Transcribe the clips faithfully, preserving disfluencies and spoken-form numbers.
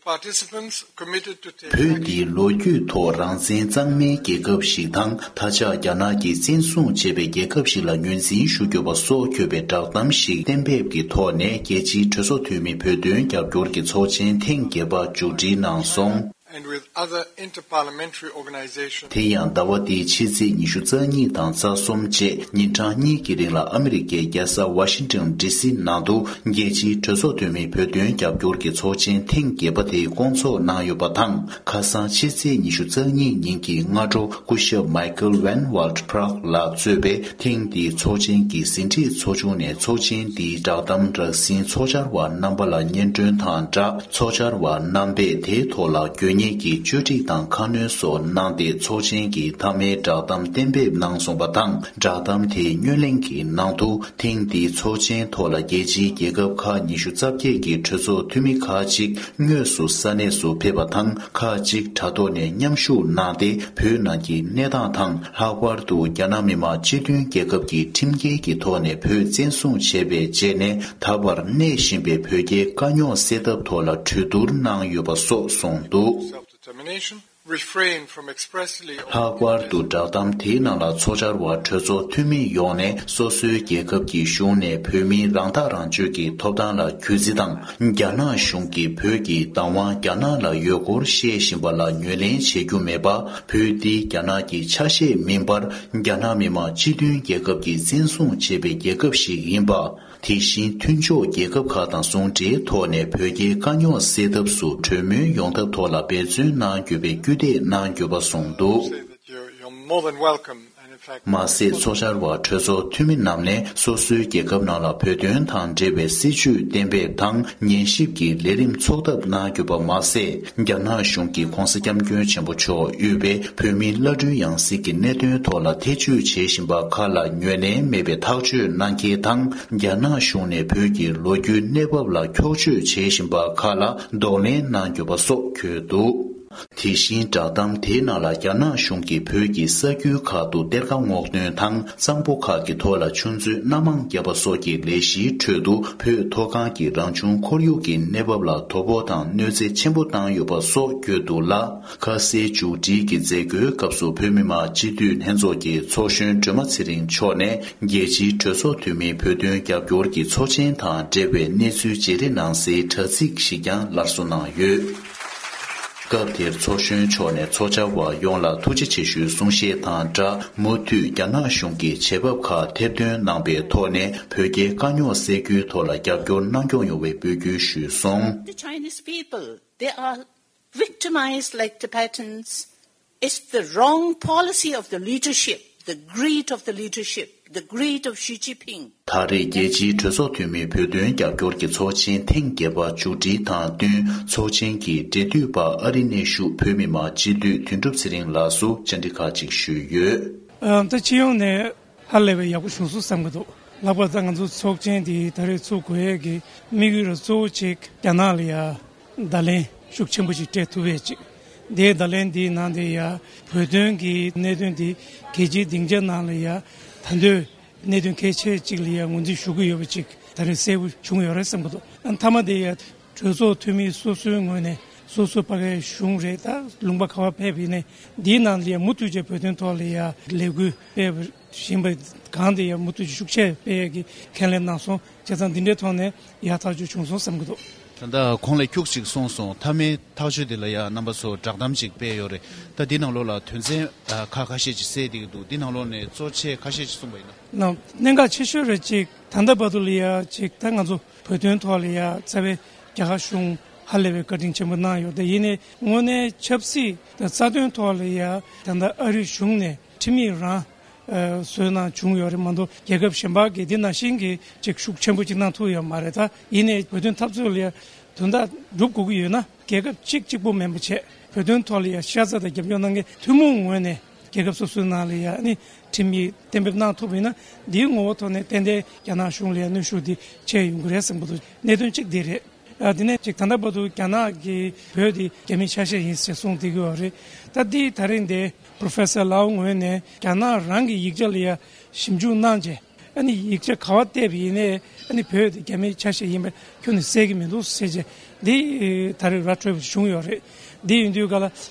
Participants committed to take བོད་འདི་ལོ་རྒྱུས་ཐོག་རང་བཙན་གཙང་མའི་རྒྱལ་ཁབ་ཞིག་དང་། མཐའ་ཆགས་རྒྱ་ནག་གིས་བཙན་བཟུང་བྱས་པའི་རྒྱལ་ཁབ་ཞིག་ལ་ངོས་འཛིན་ཞུ་རྒྱུ་བ་སོགས་འཁོད་པའི་བསྒྲགས་གཏམ་ཞིག་གཏན་འབེབས་ཀྱི་ཐོག་ནས། རྒྱལ་སྤྱིའི་གྲོས་ཚོགས་འཐུས་མི་བོད་དོན་རྒྱབ་སྐྱོར་གྱི་ཚོགས་ཆེན་ཐེངས་བརྒྱད་པ་མཇུག་སྒྲིལ་གནང་སོང་། And with other inter-parliamentary organizations. དེ་ཡང་ཟླ་བ་འདིའི་ཕྱི་ཚེས་ཉི་ཤུ་རྩ་གཉིས་དང་རྩ་གསུམ་བཅས་ཉིན་གྲངས་གཉིས་ཀྱི་རིང་ལ་ཨ་མི་རི་ཀའི་རྒྱལ་ས་ཝ་ཤིང་ཊོན་ཌི་སི་ནང་དུ་རྒྱལ་སྤྱིའི་གྲོས་ཚོགས་འཐུས་མི་བོད་དོན་རྒྱབ་སྐྱོར་གྱི་ཚོགས་ཆེན་ཐེངས་བརྒྱད་པ་དེའི་བསྐོང་ཚོགས་གནང་ཡོད་པ་དང་། ཁ་སང་ཕྱི་ཚེས་ཉི་ཤུ་རྩ་གཉིས་ཉིན་གྱི་སྔ་དྲོ་སྐུ་ཞབས་མའི་ཀལ་ཝན་ཝལ་ཕྲག་ལགས་གཙོས་པའི་ཐེངས་འདིའི་ཚོགས་ཆེན་གྱི་ཟིན་བྲིས་ཚོགས་ཆུང་ནས་ཚོགས་ཆེན་འདིའི་བསྒྲགས་གཏམ་རགས་ཟིན་ཚོགས་བཅར་བ་རྣམ་པ་ལ་སྙན་སྒྲོན་དང་སྦྲགས། ཚོགས་བཅར་བ་རྣམ་པས་དེའི་ཐོག་ལ་དགོས་ངེས་ཀྱི་བཅོས་སྒྲིག་དང་ཁ་སྣོན་སོགས་གནང་སྟེ། ཚོགས་ཆེན་གྱི་མཐའ་མའི་བསྒྲགས་གཏམ་གཏན་འབེབས་གནང་སོང་བ་དང་། བསྒྲགས་གཏམ་དེའི་སྙོན་གླེང་གི་ནང་དུ། ཐེངས་འདིའི་ཚོགས་ཆེན་ཐོག་ལ་རྒྱལ་སྤྱིའི་རྒྱལ་ཁབ་ཁག་ཉི་ཤུ་རྩ་བརྒྱད་ཀྱི་གྲོས་ཚོགས་འཐུས་མི་ཁག་ཅིག་དངོས་སུ་ས་གནས་སུ་ཕེབས་པ་དང་། ཁག་ཅིག་དྲ་ཐོག་ནས་མཉམ་ཞུགས་གནང་སྟེ། བོད་ནང་གི་གནས་སྟངས་དང་། ལྷག་པར་དུ་རྒྱ་ནག་མི་དམངས་སྤྱི་མཐུན་རྒྱལ་ཁབ་ཀྱི་ཁྲིམས་འགལ་གྱི་ཐོག་ནས་བོད་བཙན་བཟུང་བྱས་པའི་རྗེས་ནས། ད་བར་གནས་བཞིན་པའི་བོད་རྒྱའི་དཀའ་རྙོག་སེལ་ཐབས་ཐོག་ལ་གྲོས་བསྡུར་གནང་ཡོད་པ་སོགས་གསུངས་འདུག། Self-determination, refrain from expressly or ལྷག་པར་དུ་བསྒྲགས་གཏམ་དེའི་ནང་ལ། ཚོགས་བཅར་བ་གྲོས་ཚོགས་འཐུས་མི་ཡོངས་ནས་སོ་སོའི་རྒྱལ་ཁབ་ཀྱི་གཞུང་ནས་བོད་མིའི་རང་ཐག་རང་གཅོད་ཀྱི་ཐོབ་ཐང་ལ་གུས་བརྩི་དང་། རྒྱ་ནག་གཞུང་གིས་བོད་ཀྱི་བདག་དབང་རྒྱ་ནག་ལ་ཡོད་སྐོར་བཤད་བཞིན་པ་ལ་ངོས་ལེན་བྱེད་རྒྱུ་མེད་པ། བོད་འདི་རྒྱ་ནག་གི་ཆ་ཤས་མིན་པར། རྒྱ་ནག་མི་དམངས་སྤྱི་མཐུན་རྒྱལ་ཁབ་ཀྱིས་བཙན་བཟུང་བྱས་པའི་རྒྱལ་ཁབ་ཞིག་ཡིན་པ། དེ་བཞིན་མཐུན་ཕྱོགས་རྒྱལ་ཁབ་ཁག་དང་ཟུང་འབྲེལ་ཐོག་ནས་བོད་རྒྱའི་དཀའ་རྙོག་སེལ་ཐབས་སུ་གྲོས་མོལ་ཡོང་ཐབས་ཐོག་ལ་འབད་བརྩོན་གནང་རྒྱུ་བའི་སྐུལ་འདེད་གནང་དགོས་པ་གསུངས་འདུག། Say that you're, you're more than welcome, and in fact, མ་ཟད། ཚོགས་བཅར་བ་གྲོས་ཚོགས་འཐུས་མི་རྣམས་ནས་སོ་སོའི་རྒྱལ་ཁབ་ནང་ལ་བོད་དོན་དང་འབྲེལ་བའི་སྲིད་བྱུས་གཏན་འབེབས་དང་། ཉན་ཞིབ་ཀྱི་ལས་རིམ་འཚོགས་ཐབས་གནང་རྒྱུ་བ་མ་ཟད། རྒྱ་ནག་གཞུང་གིས་༧གོང་ས་༧སྐྱབས་མགོན་ཆེན་པོ་མཆོག་དབུས་པའི་བོད་མིའི་བླ་སྤྲུལ་ཡང་སྲིད་ཀྱི་གནད་དོན་ཐོག་ལ་ཐེ་བྱུས་བྱེད་བཞིན་པ་ཁག་ལ་ངོས་ལེན་མེད་པའི་ཐག་གཅོད་གནང་གལ་དང་། རྒྱ་ནག་གཞུང་ནས་བོད་ཀྱི་ལོ་རྒྱུས་གནས་བབ་ལ་འཁྱོག་བརྗོད་བྱེད་བཞིན་པ་ཁག་ལ་གདོང་ལེན་གནང་དགོས་པ་སོགས་འཁོད་འདུག། དེ་བཞིན་བསྒྲགས་གཏམ་དེའི་ནང་ལ། རྒྱ་ནག་གཞུང་གིས་བོད་ཀྱི་ས་ཁུལ་ཁག་ཏུ་གཏེར་ཁ་སྔོག་འདོན་དང་། གཙང་པོ་ཁག་གི་ཐོག་ལ་ཆུ་མཛོད་སྣ་མང་བརྒྱབ་པ་སོགས་ཀྱི་ལས་གཞིའི་ཁྲོད་དུ། བོད་མཐོ་སྒང་གི་རང་བྱུང་ཁོར་ཡུག་གི་གནས་བབ་ལ་དོ་ཕོག་དང་གནོད་འཚེ་ཆེན་པོ་བཏང་ཡོད་པ་སོགས་བཀོད་འདུག་ལ། ཁ་གསལ་མཇུག་སྒྲིལ་གྱི་མཛད་སྒོའི་སྐབས་སུ། བོད་མི་མང་སྤྱི་འཐུས་ལྷན་ཚོགས་ཀྱི་ཚོགས་གཞོན་སྒྲོལ་མ་ཚེ་རིང་མཆོག་ནས། རྒྱལ་སྤྱིའི་གྲོས་ཚོགས་འཐུས་མིའི་བོད་དོན་རྒྱབ་སྐྱོར་གྱི་ཚོགས་ཆེན་དང་འབྲེལ་བའི་གནས་ཚུལ་བརྗེ་རེས་གནང་སའི་དྲ་ཚིགས་ཤིག་ཀྱང་སླར་གསོ་གནང་ཡོད། སྐབས་དེར་ཚོགས་གཞོན་མཆོག་ནས་ཚོགས་བཅར་བ་ཡོངས་ལ་ཐུགས་རྗེ་ཆེ་ཞུའི་གསུང་བཤད་དང་སྦྲགས། མུ་མཐུད་རྒྱ་ནག་གཞུང་གིས་བྱེད་བབ་ཁག་ཐེར་འདོན་གནང་པའི་ཐོག་ནས། བོད་རྒྱའི་དཀའ་རྙོག་སེལ་རྒྱུའི་ཐོག་ལ་རྒྱབ་སྐྱོར་གནང་སྐྱོང་ཡོང་བའི་འབོད་སྐུལ་ཞུས་སོང་། The Chinese people, they are victimized like Tibetans. It's the wrong policy of the leadership, the greed of the leadership, the greed of Xi Jinping. ད་རེས་རྒྱལ་སྤྱིའི་གྲོས་ཚོགས་འཐུས་མིའི་བོད་དོན་རྒྱབ་སྐྱོར་གྱི་ཚོགས་ཆེན་ཐེངས་བརྒྱད་པ་མཇུག་སྒྲིལ་དང་བསྟུན། ཚོགས་ཆེན་གྱི་འབྲེལ་མཐུད་པ་ཨ་རིའི་གནས་བཞུགས་བོད་མི་མང་སྤྱི་འཐུས་དོན་གྲུབ་ཚེ་རིང་ལགས་སུ་བཅར་འདྲི་ཁག་ཅིག་ཞུས་ཡོད། ཨ། ད་སྤྱི་ཡོངས་ནས་ཧ་ལས་པའི་ཡག་པོ་བྱུང་སོང་བསམ་གྱི་འདུག། ལྷག་པར་ད་ང་ཚོ་ཚོགས་ཆེན་འདི་ད་རེས་ཚུགས་དགོས་ཡས་ཀྱི་དམིགས་ཡུལ་གཙོ་བོ་གཅིག་རྒྱ་ནག་ལ་ཡ་བརྡ་ལན་ཤུགས་ཆེན་པོ་ཞིག་སྤྲད་ཐུབ་ཡས་ཅིག། དེའི་བརྡ་ལན་འདིའི་ནང་དེ་ཡ་བོད་དོན་གྱི་གནད་དོན་འདི་རྒྱལ་སྤྱིའི་སྡིངས་ཆ་ནང་ལ་ཡ་ད་འདོད་གནད་དོན་གལ་ཆེ་གཅིག་ལ་ཡ་ངོས་འཛིན་ཞུ་གི་ཡོད་པ་ཅིག་ད་རེས་གསལ་པོ་བྱུང་ཡོད་རེད་བསམ་གྱི་འདུག། མཐའ་མ་དེ་ཡ་གྲོས་ཚོགས་འཐུས་མི་སོ་སོའི་ངོས་ནས་སོ་སོ་ཕ་གའི་གཞུང་རེད། ད་ལུང་པ་ག་བ་ཕེབས་ཡིན་ནའི་འདིའི་ནང་ལ་ཡ་མུ་མཐུད་བྱས་བོད་དོན་ཐོག་ལ་ཡ་ལས་འགུལ་སྤེལ་བཞིན་པ་གང་དེ་ཡ་མུ་མཐུད་ཀྱིས་ཤུགས་ཆེ་སྤེལ་ཡས་ཀྱི་ཁས་ལེན་གནང་སོང་། བྱས་ཙང་འདི་འདྲའི་ཐོག་ནས་ཡག་ཐག་ཆོད་བྱུང་སོང་བསམ་གྱི་འདུག། ད་ལྟ་གོང་ལ་ཁྱུག་ཅིག་གསུངས་སོང་། མཐའ་མའི་ཐག་གཅོད་དེ་ལ་ཡ་རྣམ་པ་ཚོ་བསྒྲགས་གཏམ་ཅིག་སྤེལ་ཡོད་རེད། ད་འདི་ནང་ལོགས་ལ་དོན་ཚན་ཨ་ཁག་ཁ་ཤས་ཅིག་གསལ་བསྡད་ཀྱི་འདུག། འདི་ནང་ལོགས་ནས་གཙོ་ཆེ་ཁ་ཤས་ཅིག་གསུངས་པ་ཡིན་ན། ལགས། གནད་འགག་ཆེ་ཤོས་རེད་ཅིག། ད་ལྟ་བར་དུ་ལ་ཡ་ཅིག་ད་ང་ཚོ་བོད་དོན་ཐོག་ལ་ཡ་རྩ་བའི་རྒྱ་གར་གཞུང་ཧ་ལས་པའི་བཀའ་དྲིན་ཆེན་པོ་གནང་ཡོད། དེ་ཡིན་ནའི་དངོས་གནས་ཆབ་སྲིད་དང་རྩ་དོན་ཐོག་ལ་ཡ་ད་ལྟ་ཨ་རི་གཞུང་ནས་ཁྲིམས་ཡིག་རང་ཨ་བཟོས་གནང་བྱུང་ཡོད་རེད་མ་གཏོགས། རྒྱལ་ཁབ་གཞན་པ་གིས་འདི་ནང་བཞིན་གྱི་ཅིག་ཤུགས་ཆེན་པོ་ཅིག་གནང་ཐུབ་ཡོད་མ་རེད། ད་ཡིན་ནའི་བོད་དོན་འཐབ་རྩོད་ལ་ཡ་དོན་དག་སྒྲུབ་དགོས་ཀྱི་ཡོད་ན། རྒྱལ་ཁབ་གཅིག་གཅིག་པོ་མིན་པ་བྱས། བོད་དོན་ཐོག་ལ་ཡ་ཤ་ཚ་དང་རྒྱབ་སྐྱོར་གནང་མཁན་ཐུན་མོང་ངོས་ནས་རྒྱལ་ཁབ་སོ་སོའི་ནང་ལ་ཡ་ཨ་ནི་ཁྲིམས་ཡིག་གཏན་འབེབས་གནང་ཐུབ་པ་ཡིན་ན། འདིའི་ངོ་བོ་ཐོག་ནས་ཏན་ཏན་རྒྱ་ནག་གཞུང་ལ་ཡ་གནོན་ཤུགས་འདི་ཆེ་ཡོང་གི་རེད་བསམ་གྱི་འདུག། གནད་དོན་གཅིག་འདི་རེད། ཨ། དེ་ནས་ཅིག་ད་ལྟ་བར་དུ་རྒྱ་ནག་གིས་བོད་འདི་རྒྱ་མིའི་ཆ་ཤས་ཡིན་ཞེས་གསུངས་བསྡད་ཀྱི་ཡོད་རེད། ད་འདི་ད་རིང་འདི་Professor Lau་ངོས་ནས་རྒྱ་ནག་རང་གི་ཡིག་ཆ་ལ་ཡ་ཞིབ་འཇུག་གནང་རྗེས། ཨ་ནི་ཡིག་ཆ་ག་བ་བལྟས་པ་ཡིན་ནའི་ཨ་ནི་བོད་དེ་རྒྱ་མིའི་ཆ་ཤས་ཡིན་པ་ཁྱོན་ནས་གསལ་གྱི་མི་འདུག་ཟེར་རྗེས། འདི་ད་རེས་ར་འཕྲོད་པ་བྱུང་ཡོད་རེད། འདི་ཡིན་དུས་ག་ལ་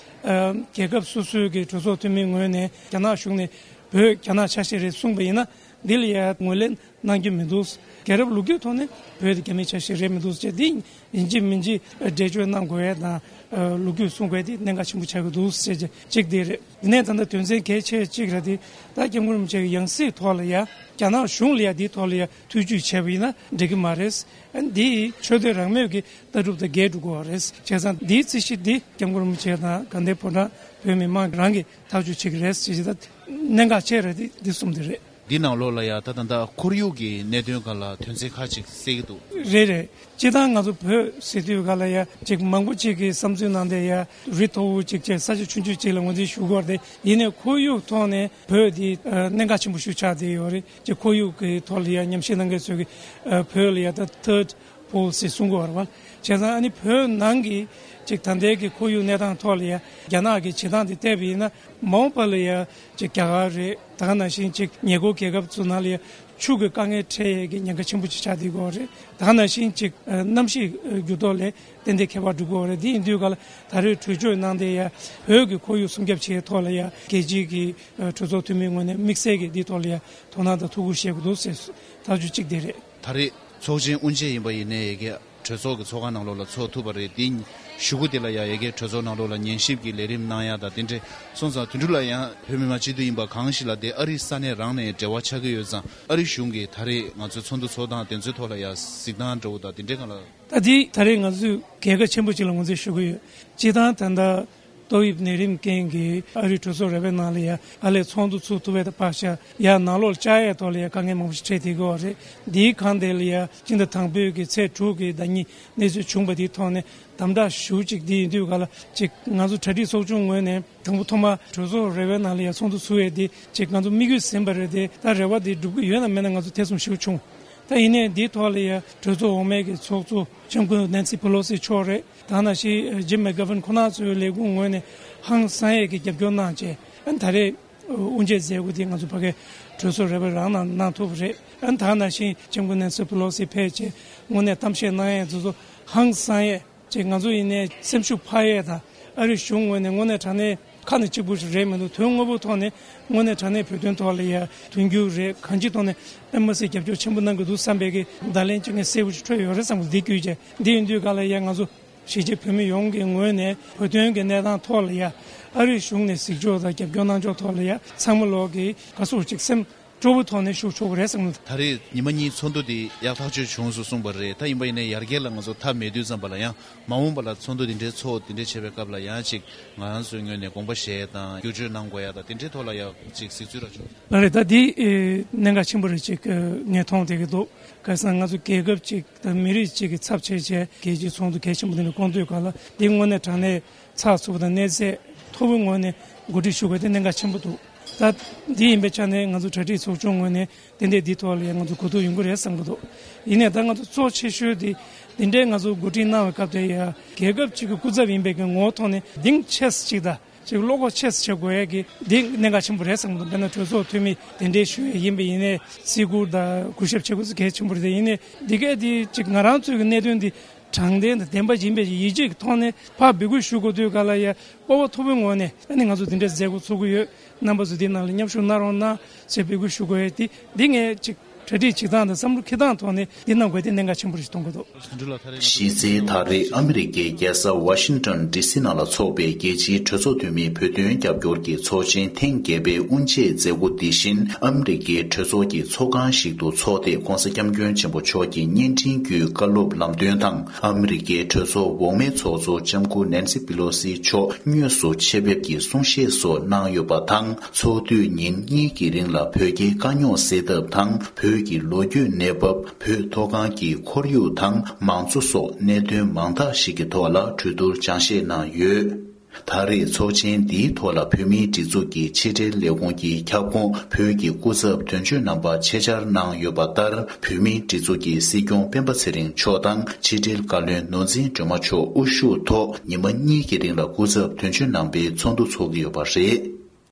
རྒྱལ་ཁབ་སོ་སོའི་གི་གྲོས་ཚོགས་འཐུས་མིའི་ངོས་ནས་རྒྱ་ནག་གཞུང་ནས་བོད་རྒྱ་ནག་ཆ་ཤས་རེད་གསུངས་པ་ཡིན་ན། འདི་ལ་ཡ་ངོས་ལེན་གནང་རྒྱུ་མི་འདུག་རྒྱལ་རབས་ལོ་རྒྱུས་ཐོག་ནས་བོད་དེ་རྒྱ་མིའི་ཆ་ཤས་རེད་མི་འདུག་ཅེས་འདི་ཡིན་གཅིག་མིན་གཅིག་འགྲེལ་བརྗོད་གནང་དགོས་ཡ་དང་། ལོ་རྒྱུས་གསུང་དགོས་དེ་གནད་འགག་ཆེན་པོ་ཆགས་ཀྱི་འདུག་ཟེར་བྱས་གཅིག་དེ་རེད། དེ་ནས་ད་ལྟ་དོན་ཚན་གལ་ཆེ་གཅིག་རེད་དེ། ད་སྐྱབས་མགོན་རིན་པོ་ཆེ་གི་ཡང་སྲིད་ཐོག་ལ་ཡ་རྒྱ་ནག་གཞུང་ལ་ཡ་འདིའི་ཐོག་ལ་ཡ་ཐུགས་རྒྱུས་བྱས་པ་ཡིན་ན་འགྲིག་གི་མ་རེད། འདི་ཆོས་དད་རང་མོས་ཀྱི་ལྟ་གྲུབ་དང་འགལ་འགྲོ་གི་རེད། བྱས་ཙང་འདིའི་རྩིས་གཞི་འདི་སྐྱབས་མགོན་རིན་པོ་ཆེ་དང་དགའ་ལྡན་ཕོ་བྲང་བོད་མི་མང་རང་གིས་ཐག་གཅོད་བྱེད་ཀྱི་རེད་ཟེར་གྱི། ད་གནད་འགག་ཆེ་རེད་དེ་འདི་གསུམ་དེ་རེད། འདི་ནང་ལོགས་ལ་ཡ་ད་ད་ལྟ་ཁོར་ཡུག་གི་གནད་དོན་སྒང་ལ་དོན་ཚན་ཁག་ཅིག་གསལ་གྱི་འདུག་རེད་རེད། སྤྱིར་བཏང་ང་ཚོ་བོད་ཟེར་དུས་སྒང་ལ་ཡ་ཅིག་མང་པོ་ཅིག་གིས་བསམ་ཚུལ་གནང་དེ་ཡ་རི་མཐོ་བོ་ཅིག་བྱས་ས་ཆ་ཆུང་ཆུང་ཅིག་ལ་ངོས་འཛིན་ཞུ་དགོས་རེད། ཡིན་ནའི་ཁོར་ཡུག་ཐོག་ནས་བོད་འདི་གནད་འགག་ཆེན་པོ་ཞིག་ཆགས་བསྡད་ཡོད་རེད། ཅིག་ཁོར་ཡུག་གི་ཐོག་ལ་ཡ་ཉམས་ཞིབ་གནང་མཁན་ཚོས་ཀྱི་བོད་ལ་ཡ་ད་ཐར་ཌི་པོལ་སི་གསུང་གི་ཡོད་རེད་བ། བྱས་ཙང་ཨ་ནི་བོད་ནང་གི་ཅིག་ད་ལྟའི་གི་ཁོར་ཡུག་གནས་སྟངས་ཐོག་ལ་ཡ་རྒྱ་ནག་གི་བྱེད་སྟངས་དེ་བལྟས་པ་ཡིན་ན་མ་འོངས་པ་ལ་ཡ་ཅིག་རྒྱ་གར་རེད། ད་ག་ནང་བཞིན་ཅིག་ཉེ་འཁོར་རྒྱལ་ཁབ་ཚོ་ནང་ལ་ཡ་ཆུ་གི་དཀའ་ངལ་འཕྲད་ཡས་ཀྱི་ཉེན་ཁ་ཆེན་པོ་ཅིག་ཆགས་བསྡད་ཀྱི་ཡོད་རེད། ད་ག་ནང་བཞིན་ཅིག་གནམ་གཤིས་འགྱུར་ལྡོག་ལས་ཏན་ཏན་ཁྱད་པར་འགྲོ་གི་ཡོད་རེད། དེ་ཡིན་དུས་ག་ལ་ད་རེས་གྲོས་ཆོད་གནང་དེ་ཡ་བོད་ཀྱི་ཁོར་ཡུག་སྲུང་སྐྱོབ་བྱེད་ཐོག་ལ་ཡ་རྒྱལ་སྤྱིའི་གི་གྲོས་ཚོགས་འཐུས་མིའི་ངོས་ནས་དམིགས་བསལ་གྱི་འདིའི་ཐོག་ལ་ཡ་དོ་སྣང་དང་ཐུགས་ཁུར་བཞེས་དགོས་འདུག་ཟེར་ཐག་གཅོད་གཅིག་དེ་རེད། ད་རེས་ཚོགས་ཆེན་དབུ་འབྱེད་ཡིན་པ་ཡིན་ནའི་ཡ་གི་གྲོས་ཚོགས་ཀྱི་ཚོགས་ཁང་ནང་ལོགས་ལ་ཚོགས་ཐུབ་པ་རེད། དེ་གཞུག་གུ་དེ་ལ་ཡ་ཡ་གི་གྲོས་ཚོགས་ནང་ལོགས་ལ་ཉན་ཞིབ་ཀྱི་ལས་རིམ་གནང་ཡ་དང་དེ་འདྲས་སོང་ཙང་དེ་འདྲ་ལ་ཡང་བོད་མི་མང་སྤྱི་འཐུས་ཡིན་པ་གང་ཞིག་ལ་དེ་ཨ་རི་ས་གནས་རང་ནས་འབྲེལ་བ་ཆགས་ཀྱི་ཡོད་ཙང་ཨ་རི་གཞུང་གིས་ད་རེས་ང་ཚོའི་ཚོགས་འདུ་ཚོགས་སྟངས་དེ་ཚོའི་ཐོག་ལ་ཡ་གཟིགས་སྟངས་འདྲ་བོ་དང་དེ་འདྲས་གང་ལ། ད་དེ་ད་རེས་ང་ཚོས་རྒྱལ་ཁ་ཆེན་པོ་ཅིག་ལ་ངོས་འཛིན་ཞུ་གི་ཡོད། སྤྱིར་བཏང་ད་ལྟ། ཏོག་དབྱིབས་ནད་རིམས་རྐྱེན་གྱིས་ཨ་རིའི་གྲོས་ཚོགས་ར་བའི་ནང་ལ་ཡ་ཨ་ལས་ཚོགས་འདུ་ཚུགས་ཐུབ་པའི་ད་བར་ཤ་ཡ་ནང་ལོགས་ལ་བཅར་ཡས་ཐོག་ལ་ཡ་དཀའ་ངལ་མང་པོ་ཞིག་འཕྲད་བསྡད་ཀྱི་ཡོད་རེད། འདིའི་སྒང་དེ་ལ་ཡ་སྤྱི་ཟླ་དང་པོའི་གི་ཚེས་དྲུག་གི་ཟླ་ཉིན་གནས་ཚུལ་བྱུང་བ་དེའི་ཐོག་ནས་དམ་དྲག་ཞུ་གཅིག་འདི་ཡིན་དུས་ག་ལ་ཅིག་ང་ཚོ་གྲ་སྒྲིག་ཚོགས་ཆུང་ངོས་ནས་དང་པོ་ཐོག་མ་གྲོས་ཚོགས་ར་བའི་ནང་ལ་ཡ་ཚོགས་འདུ་ཚུགས་ཡས་དེ་ཅིག་ང་ཚོ་དམིགས་ཡུལ་ཟིན་པ་རེད་དེ། ད་རེ་བ་དེ་འགྲུབ་ཀྱི་ཡོད་ན་མེད་ན་ང་ཚོ་ཐེ་ཚོམ་ཞིག་བྱུང་། ད་ཡིན་ནའི་འདིའི་ཐོག་ལ་ཡ་གྲོས་ཚོགས་འོག་མའི་གི་ཚོགས་གཙོ་ལྕམ་སྐུ་ནན་སི་པེ་ལོ་སི་མཆོག་རེད། ད་ནང་བཞིན་ཇིམ་མེག་གྷ་ཝན་ཁོང་རྣམ་ཚོའི་ལས་ཁུངས་ངོས་ནས་ཧང་སང་ཡས་ཀྱི་རྒྱབ་སྐྱོར་གནང་བྱས། ཨ་ནི་ད་རེས་དབུ་འབྱེད་མཛད་སྒོ་འདི་ང་ཚོ་ཕ་གིའི་གྲོས་ཚོགས་ར་བའི་རང་ནང་གནང་ཐུབ་པ་རེད། ཨ་ནི་ད་ནང་བཞིན་ལྕམ་སྐུ་ནན་སི་པེ་ལོ་སི་ཕེབས་བྱས་དངོས་གནས་གཏམ་བཤད་གནང་ཡས་ཚོ་ཚོ་ཧང་སང་ཡས་ཅིག་ང་ཚོ་ཡིན་ནའི་སེམས་ཤུགས་འཕར་ཡས་དང་ཨ་རིའི་གཞུང་ངོས་ནས་དངོས་གནས་དྲང་གནས་ཁ་ནས་གཅིག་པུ་ཞིག་རེད་མི་འདུག་དོན་དངོས་པོ་ཐོག་ནས་དངོས་གནས་དྲང་གནས་བོད་དོན་ཐོག་ལ་ཡ་མཐུན་འགྱུར་རེད། གང་ཅིའི་ཐོག་ནས་ཨེམ་བྷ་སི་རྒྱབ་སྐྱོར་ཆེན་པོ་གནང་གི་འདུག་བསམ་པའི་གི་བརྡ་ལན་གཅིག་ངས་གསལ་པོ་ཞིག་འཕྲོད་ཡོད་རེད་བསམ་གི་འདི་བརྒྱུད་བྱས། འདི་ཡིན་དུས་ག་ལ་ཡ་ང་ཚོ་གཞིས་བྱེས་བོད་མི་ཡོངས་ཀྱི་ངོས་ནས་བོད་དོན་གྱི་གནས་སྟངས་ཐོག་ལ་ཡ་ཨ་རིའི་གཞུང་ནས་གཟིགས་ཕྱོགས་དང་རྒྱབ་སྐྱོར་གནང་ཕྱོགས་ཐོག་ལ་ཡ་ཚང་མ་ལོག་གི་ག་སོགས་ཅིག་སེམས་སྤྲོ་པོའི་ཐོག་ནས་ཞུགས་ཆོག་གི་རེད་བསམ་གི་འདུག་ད་རེས་ཉི་མ་གཉིས་ཚོགས་འདུ་འདི་ཡག་ཐག་ཆོད་བྱུང་སོང་གསུངས་པ་རེད། ད་ཡིན་པ་ཡིན་ནའི་ཡར་རྒྱས་ལ་ང་ཚོ་མཐའ་མེད་དུས་ཙམ་པ་ལ་ཡང་མ་འོངས་པ་ལ་ཚོགས་འདུ་འདི་འདྲའི་ཚོགས་འདི་འདྲའི་བྱེད་པའི་སྐབས་ལ་ཡང་ཅིག་ང་རང་ཚོའི་ངོས་ནས་དགོངས་པ་བཞེས་དང་བསྒྱུར་བཅོས་གནང་དགོས་ཡ་དང་དེ་འདྲའི་ཐོག་ལ་ཡང་ཅིག་གཟིགས་ཚུལ་ར་བྱུང་། ལགས་རེད། ད་འདི་ཨེ་གནད་འགག་ཆེན་པོ་རེད། ཅིག་ངས་མཐོང་བསྡད་ཀྱི་འདུག་ག་སང་ང་ཚོ་རྒྱལ་ཁབ་ཅིག་དང་མི་རིགས་ཅིག་གི་ཚབ་བྱས་བྱས་རྒྱལ་སྤྱིའི་ཚོགས་འདུ་གལ་ཆེན་པོ་འདི་འདྲ་བསྐོང་དུས་ག་ལ་འདི་དངོས་གནས་དྲང་གནས་ཚགས་ཚུད་པ་དང་གནས་ཚད་མཐོ་པོའི་ངོས་ནས་གོ་སྒྲིག་ཞུ་དགོས་དེ་གནད་འགག་ཆེན་པོ་འདུག་ད་འདི་ཡིན་པའི་ཆ་ནས་ང་ཚོ་གྲ་སྒྲིག་ཚོགས་ཆུང་ངོས་ནས་དེ་འདྲས་འདི་ཐོག་ལ་ཡང་ང་ཚོ་གོ་བསྡུར་ཡོང་གི་རེད་བསམ་གི་འདུག་ཡིན་ནའི་ད་ང་ཚོ་གཙོ་ཆེ་ཤོས་དེ་འདི་འདྲའི་ང་ཚོ་གོ་སྒྲིག་གནང་བའི་སྐབས་དེ་ཡ་རྒྱལ་ཁབ་ཅིག་གི་སྐུ་ཚབ་ཡིན་པའི་གི་ངོ་བོ་ཐོག་ནས་གདེང་ཆེ་ས་ཅིག་དང་ཅིག་བློ་ཁོག་ཆེ་ས་བྱེད་དགོས་ཡ་གི་འདི་གནད་འགག་ཆེན་པོ་རེད་བསམ་གི་འདུག་དཔེར་ན་གྲོས་ཚོགས་འཐུས་མི་དེ་འདྲའི་ཞུ་ཡ་ཡིན་པ་ཡིན་ནའི་བརྩི་བཀུར་དང་གུས་ཞབས་བྱེད་དགོས་ས་གལ་ཆེན་པོ་རེད། ཡིན་ནའི་འདི་གས་འདི་ཅིག་ང་རང་ཚོའི་གི་གནད་དོན་འདི་དྲང་བདེན་དང་བདེན་པ་ཡིན་པའི་ཡིད་ཆེས་ཀྱི་ཐོག་ནས་ཕར་འབོད་སྐུལ་ཞུ་དགོས་དུས་ག་ལ་ཡ་སྤོབས་པ་མཐོ་པོའི་ངོས་ནས་ཨ་ནི་ང་ཚོ་འདི་འདྲའི་མཛད་སྒོ་ཚོགས་ཀྱི་ཡོད། རྣམ་པ་ཚོ་འདི་ནང་ལ་མཉམ་ཞུགས་གནང་རོགས་གནང་ཞེས་འབོད་སྐུལ་ཞུ་དགོས་ཡ་འདི་འདི་ངས་ཅིག་གྲ་སྒྲིག་བྱེད་སྟངས་དང་བསམ་བློ་འཁྱེར་སྟངས་ཐོག་ནས་འདི་གནང་དགོས་དེ་གནད་འགག་ཆེན་པོ་རེད་ཞེས་མཐོང་གི་འདུག་གཞི་རྩའི་ད་རེས་ཨ་མི་རི་ཀའི་རྒྱལ་ས་ཝ་ཤིང་ཊོན་ཌི་སི་ནང་ལ་འཚོགས་པའི་རྒྱལ་སྤྱིའི་གྲོས་ཚོགས་འཐུས་མིའི་བོད་དོན་རྒྱབ་སྐྱོར་གྱི་ཚོགས་ཆེན་ཐེངས་བརྒྱད་པའི་དབུ་འབྱེད་མཛད་སྒོ་འདི་བཞིན་ཨ་མི་རི་ཀའི་གྲོས་ཚོགས་ཀྱི་ཚོགས་ཁང་ཞིག་ཏུ་འཚོགས་ཏེ་༧གོང་ས་༧སྐྱབས་མགོན་ཆེན་པོ་མཆོག་གི་བརྙན་འཕྲིན་བརྒྱུད་བཀའ་སློབ་ལམ་སྟོན་དང་ཨ་མི་རི་ཀའི་གྲོས་ཚོགས་འོག་མའི་ཚོགས་གཙོ་ལྕམ་སྐུ་ནན་སི་པི་ལོ་སི་མཆོག་དངོས་སུ་ཆེད་ཕེབས་ཀྱིས་གསུང་བཤད་སོགས་གནང་ཡོད་པ་དང་། ཚོགས་དུས་ཉིན་གཉིས་ཀྱི་རིང་ལ་བོད་རྒྱའི་དཀའ་རྙོག་སེལ་ཐབས་དང་བོད་ཀྱི་ལོ་རྒྱུས་གནས་བབ། བོད་མཐོ་སྒང་གི་ཁོར་ཡུག་དང་མང་གཙོ་སོགས་གནད་དོན་མང་དག་ཞིག་གི་ཐོག་ལ་གྲོས་བསྡུར་སྦྱང་བཤད་གནང་ཡོད། ད་རེས་ཚོགས་ཆེན་འདིའི་ཐོག་ལ་བོད་མིའི་སྒྲིག་འཛུགས་ཀྱི་ཕྱི་འབྲེལ་ལས་ཁུངས་ཀྱི་ཁྱབ་ཁོངས་བོད་ཀྱི་སྐུ་ཚབ་དོན་གཅོད་རྣམ་པ་ཆེད་བཅར་གནང་ཡོད་པ་ལྟར། བོད་མིའི་སྒྲིག་འཛུགས་ཀྱི་སྲིད་སྐྱོང་སྤེན་པ་ཚེ་རིང་མཆོག་དང་ཕྱི་འབྲེལ་བཀའ་བློན་ནོར་འཛིན་སྒྲོལ་མ་མཆོག་དབུ་བཞུགས་ཐོག་ཉི་མ་གཉིས་ཀྱི་རིང་ལ་སྐུ་ཚབ་དོན་གཅོད་རྣམ་པའི་ཚོགས་འདུ་འཚོགས་ཀྱི་ཡོད་པ་རེད།